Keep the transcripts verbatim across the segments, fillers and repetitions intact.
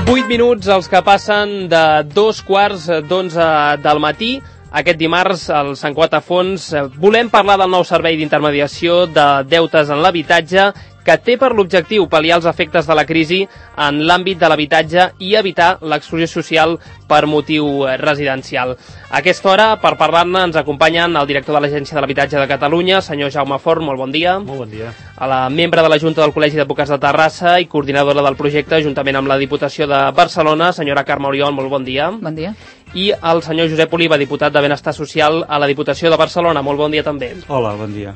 vuit minuts els que passen de dos quarts d'onze del matí. Aquest dimarts, al Sant Cugat a Fons, volem parlar del nou servei d'intermediació de deutes en l'habitatge que té per l'objectiu pal·liar els efectes de la crisi en l'àmbit de l'habitatge i evitar l'exclusió social per motiu residencial. A aquesta hora, per parlar-ne, ens acompanyen el director de l'Agència de l'Habitatge de Catalunya, senyor Jaume Fort, molt bon dia. Molt bon dia. A la membre de la Junta del Col·legi d'Advocats de Terrassa i coordinadora del projecte, juntament amb la Diputació de Barcelona, senyora Carme Oriol, molt bon dia. Bon dia. I el senyor Josep Oliva, diputat de Benestar Social a la Diputació de Barcelona, molt bon dia també. Hola, bon dia.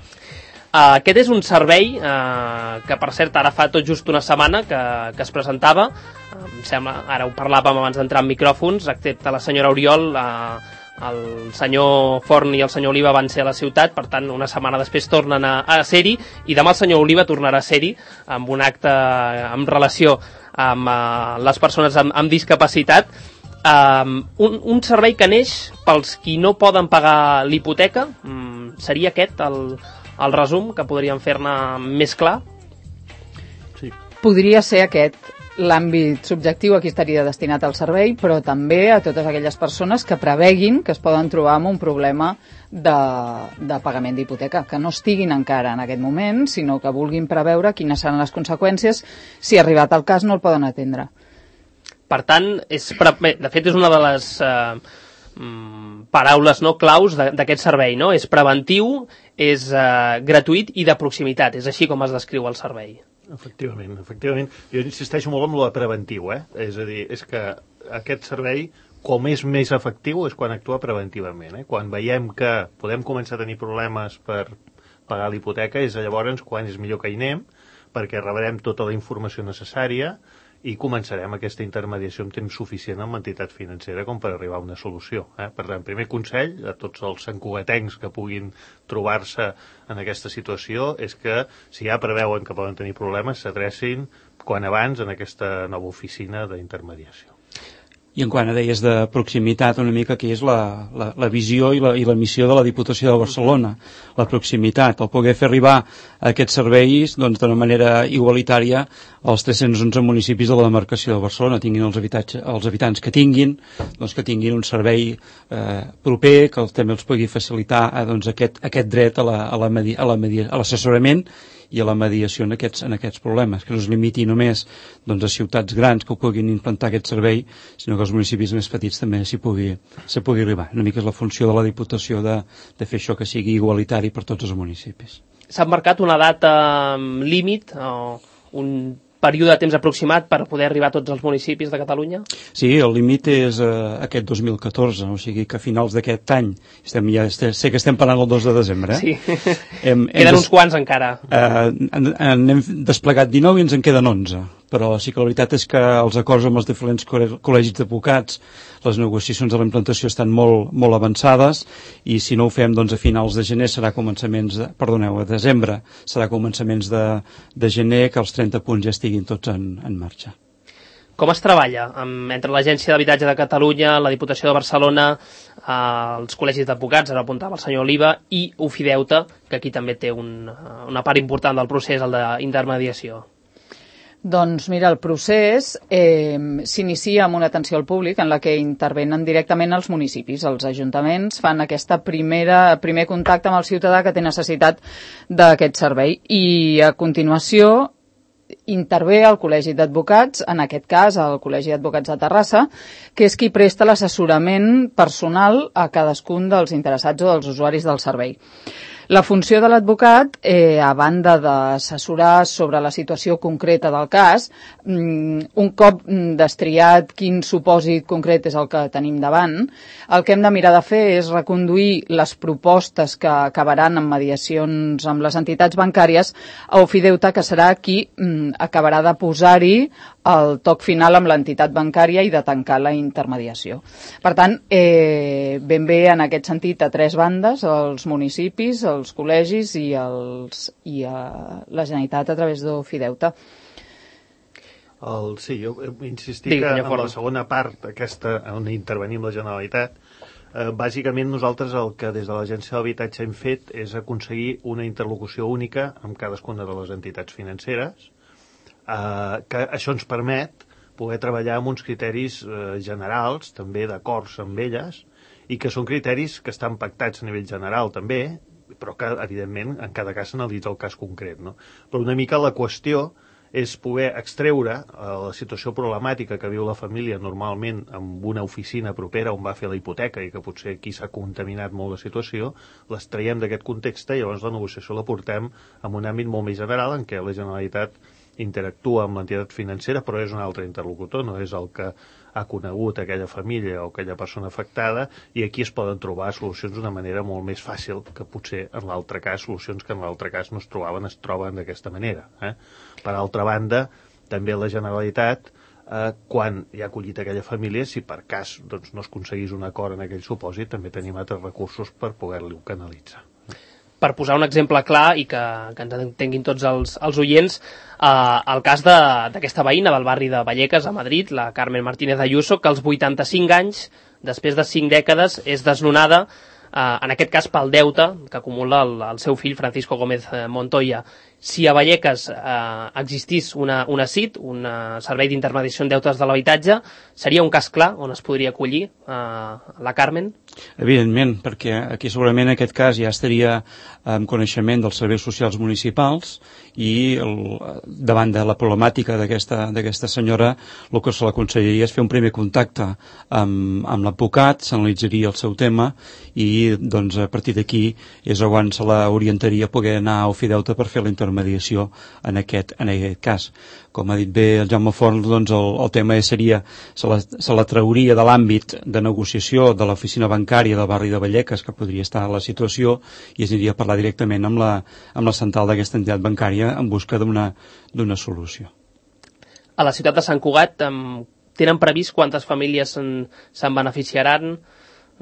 Uh, aquest és un servei uh, que, per cert, ara fa tot just una setmana que, que es presentava. Uh, em sembla, ara ho parlàvem abans d'entrar en micròfons, excepte la senyora Oriol, uh, el senyor Forn i el senyor Oliva van ser a la ciutat, per tant, una setmana després tornen a, a ser-hi, i demà el senyor Oliva tornarà a ser-hi amb un acte en relació amb uh, les persones amb, amb discapacitat. Um, un, un servei que neix pels qui no poden pagar l'hipoteca. Um, seria aquest el... el resum, que podríem fer-ne més clar? Sí. Podria ser aquest l'àmbit subjectiu a qui estaria destinat al servei, però també a totes aquelles persones que preveguin que es poden trobar amb un problema de, de pagament d'hipoteca, que no estiguin encara en aquest moment, sinó que vulguin preveure quines seran les conseqüències si arribat el cas no el poden atendre. Per tant, és pre... Bé, de fet és una de les eh, paraules no claus d'aquest servei, no? És preventiu, és uh, gratuït i de proximitat. És així com es descriu el servei. Efectivament, efectivament. Jo insisteixo molt en lo de preventiu, eh? És a dir, és que aquest servei, com és més efectiu, és quan actua preventivament, eh? Quan veiem que podem començar a tenir problemes per pagar l'hipoteca, és llavors quan és millor que hi anem, perquè rebrem tota la informació necessària i començarem aquesta intermediació amb temps suficient amb l'entitat financera com per arribar a una solució. Eh? Per tant, primer consell a tots els santcugatencs que puguin trobar-se en aquesta situació és que, si ja preveuen que poden tenir problemes, s'adrecin quan abans en aquesta nova oficina d'intermediació. I en quant a deies de proximitat, una mica aquí és la, la, la visió i la, i la missió de la Diputació de Barcelona, la proximitat, el poder fer arribar a aquests serveis doncs, d'una manera igualitària als tres-cents onze municipis de la demarcació de Barcelona, tinguin els, habitatge, els habitants que tinguin, doncs, que tinguin un servei eh, proper, que també els pugui facilitar eh, doncs, aquest, aquest dret a la, a la medi, a la medi, a l'assessorament i a la mediació en aquests, en aquests problemes, que no es limiti només doncs, a ciutats grans que ho puguin implantar aquest servei, sinó que els municipis més petits també s'hi pugui, s'hi pugui arribar. Una mica és la funció de la Diputació de, de fer això que sigui igualitari per tots els municipis. S'ha marcat una data límit o un període de temps aproximat per poder arribar a tots els municipis de Catalunya? Sí, el límit és eh, aquest dos mil catorze, o sigui que a finals d'aquest any, estem ja, estem, sé que estem parlant el dos de desembre, eh? Sí, hem, hem queden des... uns quants encara. Eh, n'hem desplegat dinou i ens en queden onze, però sí que la veritat és que els acords amb els diferents col·legis d'advocats, les negociacions de la implantació estan molt, molt avançades i si no ho fem doncs, a finals de gener serà començaments, de, perdoneu, a desembre serà començaments de, de gener que els trenta punts ja estiguin tots en, en marxa. Com es treballa amb, entre l'Agència d'Habitatge de Catalunya, la Diputació de Barcelona, eh, els col·legis d'advocats, ara apuntava el senyor Oliva, i Ofideute, que aquí també té un, una part important del procés, el d'intermediació? Doncs mira, el procés eh, s'inicia amb una atenció al públic en la que intervenen directament els municipis. Els ajuntaments fan aquesta primera, primer contacte amb el ciutadà que té necessitat d'aquest servei i a continuació intervé el Col·legi d'Advocats, en aquest cas el Col·legi d'Advocats de Terrassa, que és qui presta l'assessorament personal a cadascun dels interessats o dels usuaris del servei. La funció de l'advocat, eh, a banda d'assessorar sobre la situació concreta del cas, un cop destriat quin supòsit concret és el que tenim davant, el que hem de mirar de fer és reconduir les propostes que acabaran en mediacions amb les entitats bancàries a Ofideute, que serà qui mm, acabarà de posar-hi el toc final amb l'entitat bancària i de tancar la intermediació. Per tant, eh, ben bé en aquest sentit a tres bandes, els municipis, els col·legis i, els, i a la Generalitat a través d'Ofideute. El, sí, jo insistir que en la segona part aquesta on intervenim la Generalitat, eh, bàsicament nosaltres el que des de l'Agència de l'Habitatge hem fet és aconseguir una interlocució única amb cadascuna de les entitats financeres, eh, que això ens permet poder treballar amb uns criteris eh, generals, també d'acords amb elles, i que són criteris que estan pactats a nivell general també, però que, evidentment, en cada cas s'analitza el cas concret, no? Però una mica la qüestió és poder extreure eh, la situació problemàtica que viu la família normalment amb una oficina propera on va fer la hipoteca i que potser aquí s'ha contaminat molt la situació, les traiem d'aquest context i llavors la negociació la portem en un àmbit molt més general en què la Generalitat interactua amb l'entitat financera, però és un altre interlocutor, no és el que ha conegut aquella família o aquella persona afectada, i aquí es poden trobar solucions d'una manera molt més fàcil que potser en l'altre cas, solucions que en l'altre cas no es trobaven, es troben d'aquesta manera. Eh? Per altra banda, també la Generalitat, eh, quan hi ha acollit aquella família, si per cas doncs, no es aconseguís un acord en aquell supòsit, també tenim altres recursos per poder-lo canalitzar. Per posar un exemple clar i que, que ens entenguin tots els, els oients, eh, el cas d'aquesta veïna del barri de Vallecas, a Madrid, la Carmen Martínez Ayuso, que als vuitanta-cinc anys, després de cinc dècades, és desnonada, eh, en aquest cas pel deute que acumula el, el seu fill Francisco Gómez Montoya. Si a Vallecas eh, existís una, una C I T, un servei d'intermediació en deutes de l'habitatge, seria un cas clar on es podria acollir eh, la Carmen? Evidentment, perquè aquí segurament en aquest cas ja estaria en coneixement dels serveis socials municipals i el, davant de la problemàtica d'aquesta d'aquesta senyora el que se l'aconsellaria és fer un primer contacte amb, amb l'advocat, s'analitzaria el seu tema i doncs a partir d'aquí és on se l'orientaria a poder anar a ofideute per fer la intermediació en aquest, en aquest cas. Com ha dit bé el Jaume Font, doncs el, el tema seria, se la, se la trauria de l'àmbit de negociació de l'oficina bancària del barri de Vallecas, que podria estar a la situació, i es aniria a parlar directament amb la, amb la central d'aquesta entitat bancària en busca d'una d'una solució. A la ciutat de Sant Cugat um, tenen previst quantes famílies se'n se beneficiaran?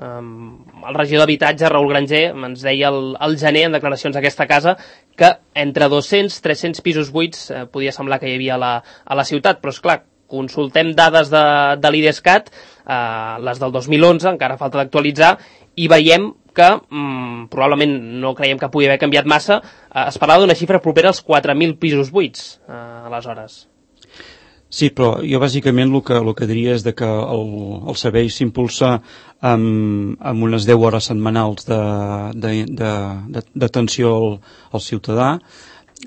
Um, el regidor d'Habitatge, Raül Granger, ens deia el, el gener en declaracions a aquesta casa que entre dos-cents i tres-cents pisos buits eh, podia semblar que hi havia a la, a la ciutat, però és clar, consultem dades de, de l'IDESCAT, eh, les del dos mil onze, encara falta d'actualitzar, i veiem que mm, probablement no creiem que pugui haver canviat massa, eh, es parlava d'una xifra propera als quatre mil pisos buits, eh, aleshores. Sí, però jo bàsicament el que, el que diria és de que el, el servei s'impulsa amb, amb unes deu hores setmanals d'atenció al, al ciutadà.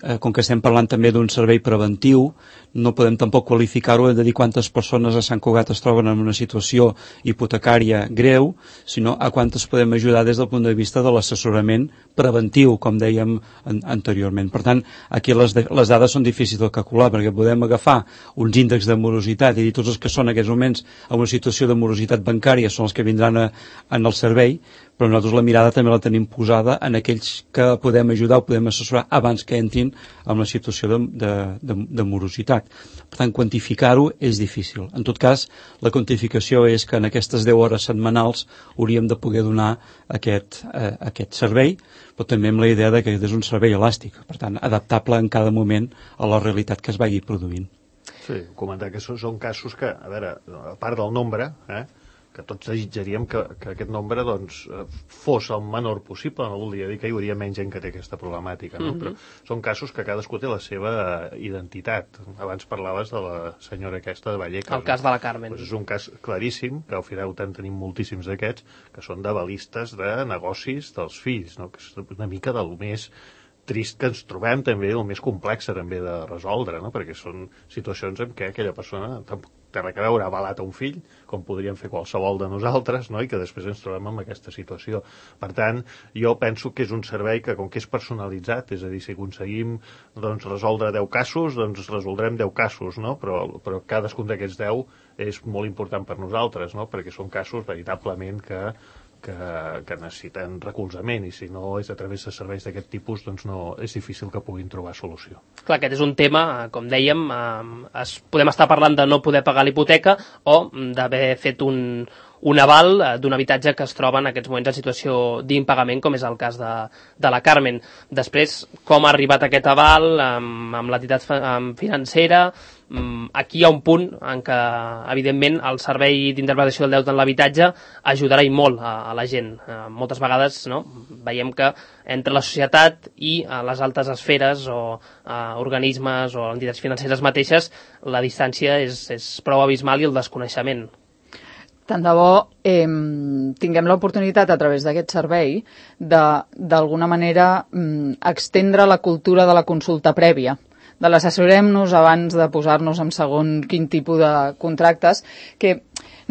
Eh, com que estem parlant també d'un servei preventiu, no podem tampoc qualificar-ho de dir quantes persones a Sant Cugat es troben en una situació hipotecària greu, sinó a quantes podem ajudar des del punt de vista de l'assessorament preventiu, com dèiem an anteriorment. Per tant, aquí les, les dades són difícils de calcular, perquè podem agafar uns índexs de morositat i dir tots els que són en aquests moments en una situació de morositat bancària són els que vindran a, en el servei, però nosaltres la mirada també la tenim posada en aquells que podem ajudar o podem assessorar abans que entrin en la situació de, de, de, de morositat. Per tant, quantificar-ho és difícil. En tot cas, la quantificació és que en aquestes deu hores setmanals hauríem de poder donar aquest, eh, aquest servei, però també amb la idea de que és un servei elàstic, per tant, adaptable en cada moment a la realitat que es vagi produint. Sí, comentar que són, són casos que, a veure, a part del nombre, eh, que tots desitjaríem que, que aquest nombre doncs, fos el menor possible, no voldria dir que hi hauria menys gent que té aquesta problemàtica, no? Mm-hmm. Però són casos que cadascú té la seva identitat. Abans parlaves de la senyora aquesta de Vallecas. El cas de la Carmen. Pues és un cas claríssim, que al final en tenim moltíssims d'aquests, que són d'avalistes de negocis dels fills, no? Que és una mica del més trist que ens trobem també, el més complex també de resoldre, no? Perquè són situacions en què aquella persona tampoc té res a veure, ha avalat a un fill, com podríem fer qualsevol de nosaltres, no? I que després ens trobem en aquesta situació. Per tant, jo penso que és un servei que, com que és personalitzat, és a dir, si aconseguim doncs, resoldre deu casos, doncs resoldrem deu casos, no? Però, però cadascun d'aquests deu és molt important per nosaltres, no? Perquè són casos veritablement que Que, que necessiten recolzament, i si no és a través de serveis d'aquest tipus, doncs no, és difícil que puguin trobar solució. Clar, aquest és un tema, com dèiem, eh, es, podem estar parlant de no poder pagar l'hipoteca o d'haver fet un, un aval eh, d'un habitatge que es troba en aquests moments en situació d'impagament, com és el cas de, de la Carmen. Després, com ha arribat aquest aval amb, amb l'entitat financera? Aquí hi ha un punt en què, evidentment, el servei d'interpretació del deute en l'habitatge ajudarà i molt a, a la gent. Eh, moltes vegades no, veiem que entre la societat i eh, les altes esferes o eh, organismes o entitats financeres mateixes la distància és, és prou abismal i el desconeixement. Tant de bo eh, tinguem l'oportunitat a través d'aquest servei de, d'alguna manera, eh, extendre la cultura de la consulta prèvia, de l'assessorem-nos abans de posar-nos en segon quin tipus de contractes, que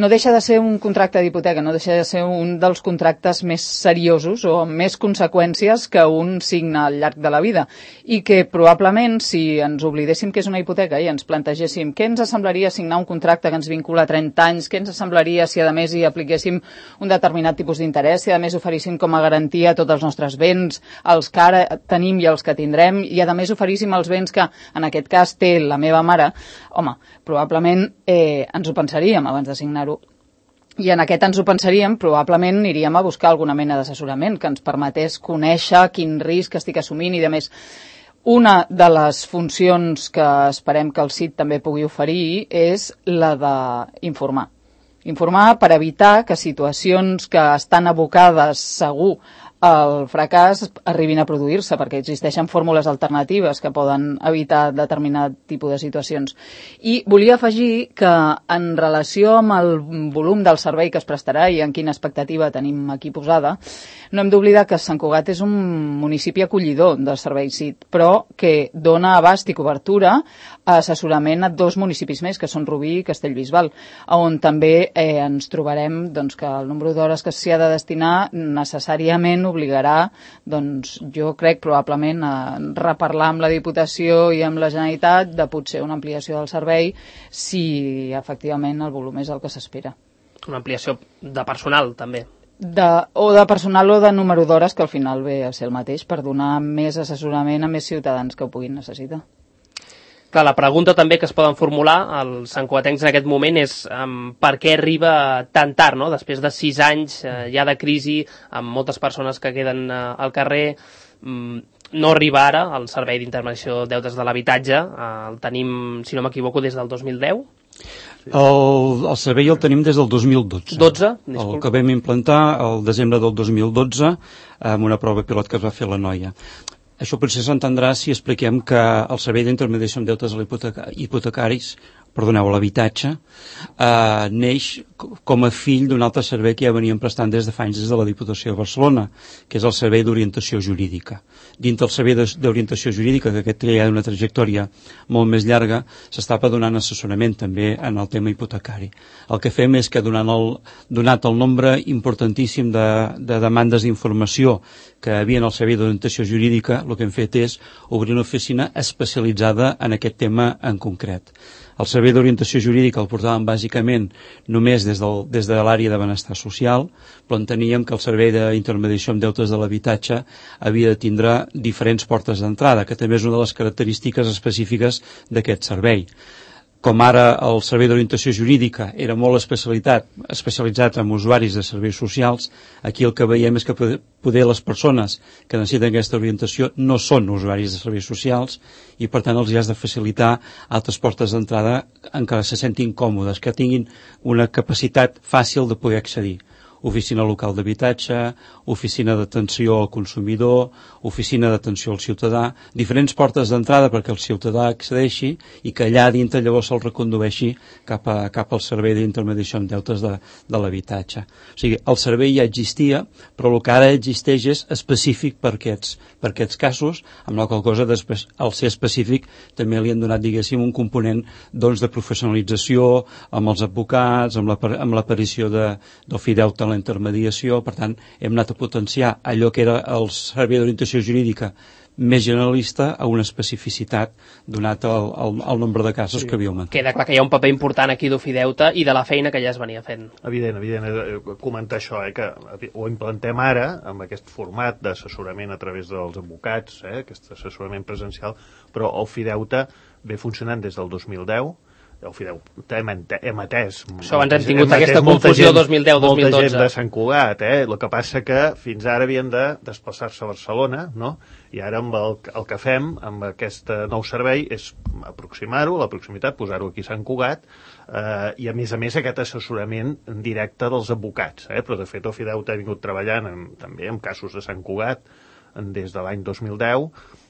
no deixa de ser un contracte d'hipoteca, no deixa de ser un dels contractes més seriosos o amb més conseqüències que un signa al llarg de la vida. I que probablement, si ens oblidéssim que és una hipoteca i ens plantegéssim què ens semblaria signar un contracte que ens vincula a trenta anys, què ens semblaria si a més hi apliquéssim un determinat tipus d'interès, si a més oferíssim com a garantia tots els nostres béns, els que ara tenim i els que tindrem, i a més oferíssim els béns que en aquest cas té la meva mare, home, probablement eh, ens ho pensaríem abans de signar-ho. I en aquest ens ho pensaríem, probablement aniríem a buscar alguna mena d'assessorament que ens permetés conèixer quin risc estic assumint i de més. Una de les funcions que esperem que el C I T també pugui oferir és la d'informar. Informar per evitar que situacions que estan abocades segur el fracàs arribin a produir-se, perquè existeixen fórmules alternatives que poden evitar determinat tipus de situacions. I volia afegir que en relació amb el volum del servei que es prestarà i en quina expectativa tenim aquí posada, no hem d'oblidar que Sant Cugat és un municipi acollidor del servei C I T, però que dona abast i cobertura a assessorament a dos municipis més, que són Rubí i Castellbisbal, on també eh, ens trobarem doncs, que el nombre d'hores que s'hi ha de destinar necessàriament obligarà, doncs, jo crec probablement a reparlar amb la Diputació i amb la Generalitat de potser una ampliació del servei si efectivament el volum és el que s'espera. Una ampliació de personal, també. De, o de personal o de número d'hores, que al final ve a ser el mateix, per donar més assessorament a més ciutadans que ho puguin necessitar. Clar, la pregunta també que es poden formular als santcugatencs en aquest moment és um, per què arriba tan tard, no? Després de sis anys uh, ja de crisi, amb moltes persones que queden uh, al carrer, um, no arriba ara el servei d'intermediació de deutes de l'habitatge, uh, el tenim, si no m'equivoco, des del dos mil deu? El, el servei el tenim des del dos mil dotze. dotze? El que vam implantar el desembre del dos mil dotze amb una prova pilot que es va fer a la Noia. Això potser s'entendrà si expliquem que el servei d'intermediació en deutes hipotecaris, perdoneu, l'habitatge, eh, neix com a fill d'un altre servei que ja veníem prestant des de fa anys des de la Diputació de Barcelona, que és el servei d'orientació jurídica. Dintre el servei d'orientació jurídica, que aquest ja ha una trajectòria molt més llarga, s'estava donant assessorament també en el tema hipotecari. El que fem és que donant el, donat el nombre importantíssim de, de demandes d'informació que havia en el servei d'orientació jurídica, el que hem fet és obrir una oficina especialitzada en aquest tema en concret. El servei d'orientació jurídica el portàvem bàsicament només des, del, des de l'àrea de benestar social, però enteníem que el servei d'intermediació en deutes de l'habitatge havia de tindre diferents portes d'entrada, que també és una de les característiques específiques d'aquest servei. Com ara el servei d'orientació jurídica era molt especialitat, especialitzat en usuaris de serveis socials, aquí el que veiem és que poder les persones que necessiten aquesta orientació no són usuaris de serveis socials i per tant els hi has de facilitar altres portes d'entrada en què se sentin còmodes, que tinguin una capacitat fàcil de poder accedir. Oficina local d'habitatge, oficina d'atenció al consumidor, oficina d'atenció al ciutadà, diferents portes d'entrada perquè el ciutadà accedeixi i que allà dintre llavors se'l recondueixi cap, a, cap al servei d'intermediació en deutes de, de l'habitatge. O sigui, el servei ja existia, però el que ara existeix és específic per aquests, per aquests casos, amb la qual cosa després, al ser específic també li han donat, diguéssim, un component doncs, de professionalització amb els advocats, amb l'aparició la, de, del fideute la intermediació, per tant hem anat a potenciar allò que era el servei d'orientació jurídica més generalista a una especificitat donat el, el, el nombre de casos sí. que havia augmentat. Queda clar que hi ha un paper important aquí d'Ofideuta i de la feina que ja es venia fent. Evident, evident, comentar això, eh, que ho implantem ara amb aquest format d'assessorament a través dels advocats, eh, aquest assessorament presencial, però Ofideuta ve funcionant des del dos mil deu, Ofideute hem, hem atès. Això abans hem tingut aquesta confusió dos mil deu dos mil dotze. Molta gent de Sant Cugat, eh? El que passa que fins ara havien de desplaçar-se a Barcelona, no? I ara amb el, el que fem amb aquest nou servei és aproximar-ho, la proximitat, posar-ho aquí a Sant Cugat, eh, i a més a més aquest assessorament directe dels advocats, eh? Però de fet Ofideute ha vingut treballant en, també en casos de Sant Cugat des de l'any dos mil deu.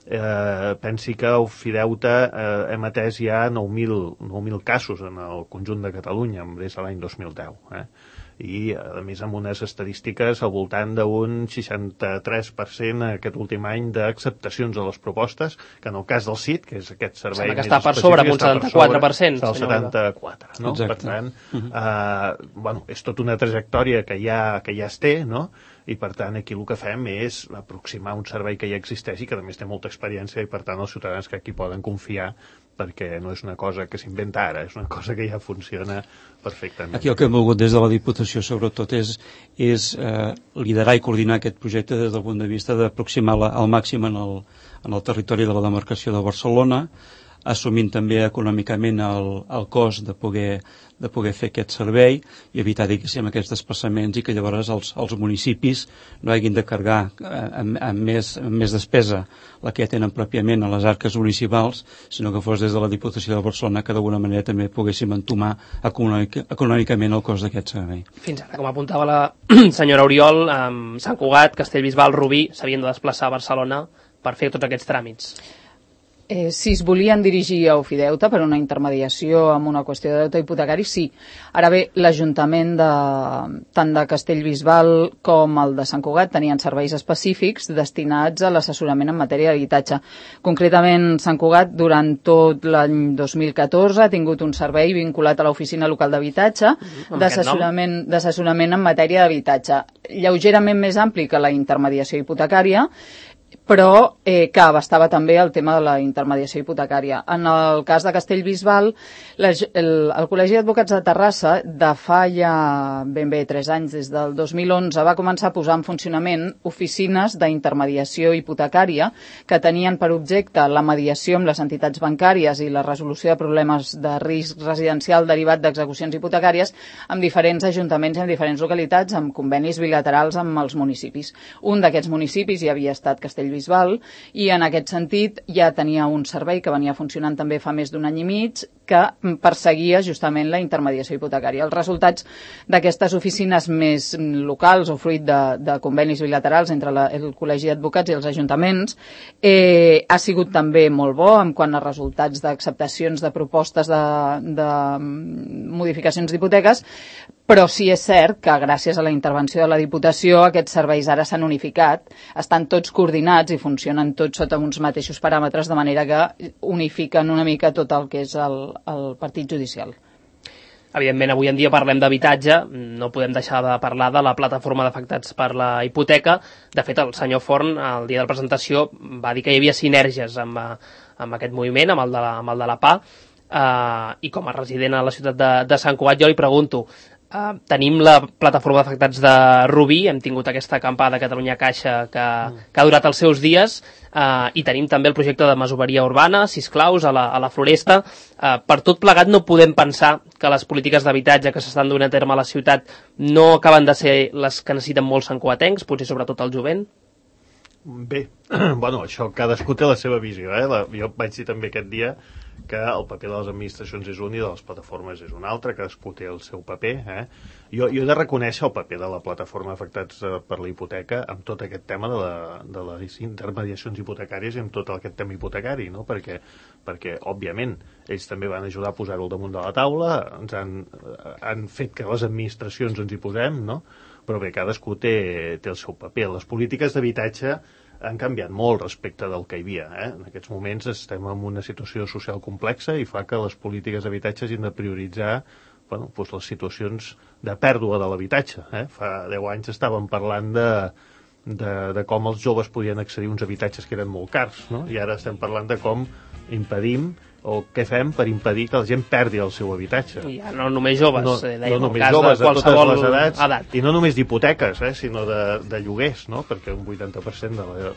Eh, pensi que Ofideute eh, hem atès ja nou mil casos en el conjunt de Catalunya des de l'any dos mil deu, eh? I a més amb unes estadístiques al voltant d'un seixanta-tres per cent aquest últim any d'acceptacions de les propostes, que en el cas del C I T, que és aquest servei que està per sobre, amb un setanta-quatre per cent. Està al setanta-quatre, no? Exacte. Per tant, eh, bueno, és tota una trajectòria que ja, que ja es té, no? I per tant aquí el que fem és aproximar un servei que ja existeix i que a més té molta experiència i per tant els ciutadans que aquí poden confiar, perquè no és una cosa que s'inventa ara, és una cosa que ja funciona perfectament. Aquí el que hem volgut des de la Diputació sobretot és, és eh, liderar i coordinar aquest projecte des del punt de vista d'aproximar al màxim en el, en el territori de la demarcació de Barcelona, assumint també econòmicament el, el cost de poder, de poder fer aquest servei i evitar, diguéssim, aquests desplaçaments i que llavors els, els municipis no hagin de carregar amb, amb, més, amb més despesa la que ja tenen pròpiament a les arques municipals, sinó que fos des de la Diputació de Barcelona que d'alguna manera també poguéssim entomar econòmic, econòmicament el cost d'aquest servei. Fins ara, com apuntava la senyora Oriol, amb Sant Cugat, Castellbisbal, Rubí s'havien de desplaçar a Barcelona per fer tots aquests tràmits. Eh, si es volien dirigir a Ofideute per una intermediació amb una qüestió de deute hipotecari, sí. Ara bé, l'Ajuntament de, tant de Castellbisbal com el de Sant Cugat tenien serveis específics destinats a l'assessorament en matèria d'habitatge. Concretament, Sant Cugat, durant tot l'any dos mil catorze, ha tingut un servei vinculat a l'Oficina Local d'Habitatge d'assessorament d'assessorament en matèria d'habitatge, lleugerament més ampli que la intermediació hipotecària, però eh, que abastava també el tema de la intermediació hipotecària. En el cas de Castellbisbal, la, el, el Col·legi d'Advocats de Terrassa, de fa ja ben bé tres anys, des del dos mil onze, va començar a posar en funcionament oficines d'intermediació hipotecària que tenien per objecte la mediació amb les entitats bancàries i la resolució de problemes de risc residencial derivat d'execucions hipotecàries amb diferents ajuntaments i amb diferents localitats, amb convenis bilaterals amb els municipis. Un d'aquests municipis ja havia estat Castellbisbal, i en aquest sentit ja tenia un servei que venia funcionant també fa més d'un any i mig que perseguia justament la intermediació hipotecària. Els resultats d'aquestes oficines més locals o fruit de, de convenis bilaterals entre la, el Col·legi d'Advocats i els ajuntaments eh, ha sigut també molt bo en quant a resultats d'acceptacions de propostes de, de modificacions d'hipoteques, però sí és cert que gràcies a la intervenció de la Diputació aquests serveis ara s'han unificat, estan tots coordinats i funcionen tots sota uns mateixos paràmetres, de manera que unifiquen una mica tot el que és el, el partit judicial. Evidentment, avui en dia parlem d'habitatge, no podem deixar de parlar de la plataforma d'afectats per la hipoteca. De fet, el senyor Forn, el dia de la presentació, va dir que hi havia sinergies amb, amb aquest moviment, amb el de la, amb el de la P A, uh, i com a resident a la ciutat de, de Sant Cugat, jo li pregunto, Uh, tenim la plataforma d'afectats de Rubí, hem tingut aquesta acampada Catalunya Caixa que, que ha durat els seus dies, uh, i tenim també el projecte de masoveria urbana, Sisclaus, a la, a la Floresta. Uh, per tot plegat no podem pensar que les polítiques d'habitatge que s'estan duent a terme a la ciutat no acaben de ser les que necessiten molts santcugatencs, potser sobretot el jovent? Bé, bueno, això cadascú té la seva visió, eh? La, jo vaig dir també aquest dia que el paper de les administracions és un i de les plataformes és un altre, cadascú té el seu paper, eh? Jo, jo he de reconèixer el paper de la plataforma afectats per la hipoteca amb tot aquest tema de, la, de les intermediacions hipotecàries i amb tot aquest tema hipotecari, no? Perquè, perquè òbviament, ells també van ajudar a posar-ho al damunt de la taula, ens han, han fet que les administracions ens hi posem, no? Però bé, cadascú té, té el seu paper. Les polítiques d'habitatge han canviat molt respecte del que hi havia. Eh? En aquests moments estem en una situació social complexa i fa que les polítiques d'habitatge hagin de prioritzar bueno, doncs les situacions de pèrdua de l'habitatge. Eh? Fa deu anys estàvem parlant de, de, de com els joves podien accedir a uns habitatges que eren molt cars, no? I ara estem parlant de com impedim o què fem per impedir que la gent perdi el seu habitatge. Ja no només joves, no, eh, dèiem, no el només cas joves, de de totes qualsevol les edats, edat. i no només d'hipoteques, eh, sinó de, de lloguers, no? Perquè un vuitanta per cent de la,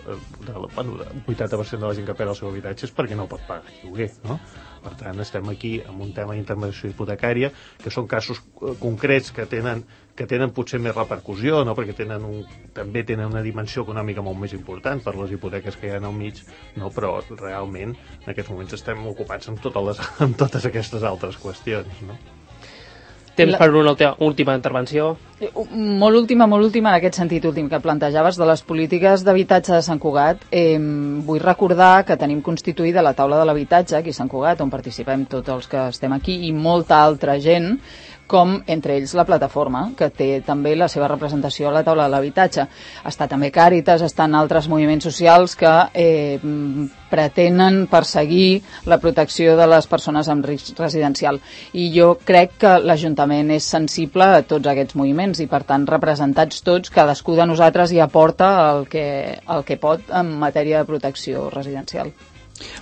de la, bueno, un vuitanta per cent de la gent que perd el seu habitatge és perquè no pot pagar lloguer, no? Per tant, estem aquí amb un tema d'intermediació hipotecària, que són casos concrets que tenen que tenen potser més repercussió, no? Perquè tenen un, també tenen una dimensió econòmica molt més important per les hipoteques que hi ha al mig, no? Però realment en aquests moments estem ocupats amb totes, les, amb totes aquestes altres qüestions, no? Temps La... per una última intervenció. Molt última, molt última en aquest sentit últim que plantejaves de les polítiques d'habitatge de Sant Cugat. Eh, vull recordar que tenim constituïda la taula de l'habitatge aquí a Sant Cugat, on participem tots els que estem aquí i molta altra gent, com entre ells la plataforma, que té també la seva representació a la taula de l'habitatge. Està també Càritas, estan altres moviments socials que eh, pretenen perseguir la protecció de les persones amb risc residencial. I jo crec que l'Ajuntament és sensible a tots aquests moviments i, per tant, representats tots, cadascú de nosaltres hi aporta el que, el que pot en matèria de protecció residencial.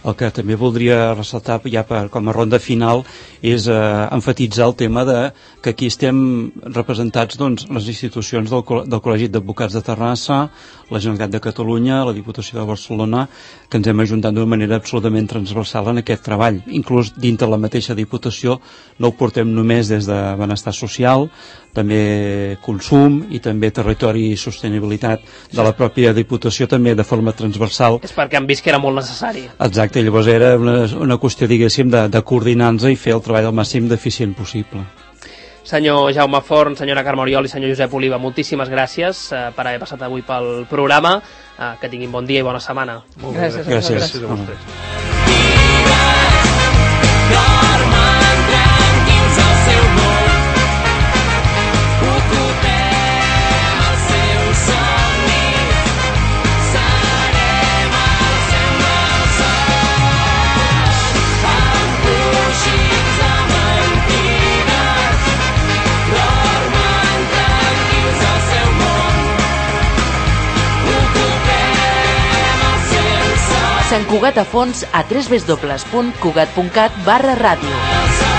El que també voldria ressaltar ja per, com a ronda final és eh, enfatitzar el tema de que aquí estem representats doncs, les institucions del, del Col·legi d'Advocats de Terrassa, la Generalitat de Catalunya, la Diputació de Barcelona, que ens hem ajuntat d'una manera absolutament transversal en aquest treball. Inclús dintre la mateixa Diputació no ho portem només des de benestar social, també consum i també territori i sostenibilitat de la pròpia Diputació també de forma transversal. És perquè han vist que era molt necessari. Exacte, llavors era una, una qüestió, diguéssim, de, de coordinar-nos i fer el treball el màxim d'eficient possible. Senyor Jaume Forn, senyora Carme Oriol i senyor Josep Oliva, moltíssimes gràcies eh, per haver passat avui pel programa. Eh, que tinguin bon dia i bona setmana. Molt gràcies. Gràcies. gràcies a vostès. Dormen tranquils al seu món, ocupem el seu somni, serem el cent del sol, embogits de mentides, dormen tranquils al seu món, ocupem el seu sol. Sant Cugat a fons a w w w punt cugat punt cat barra ràdio.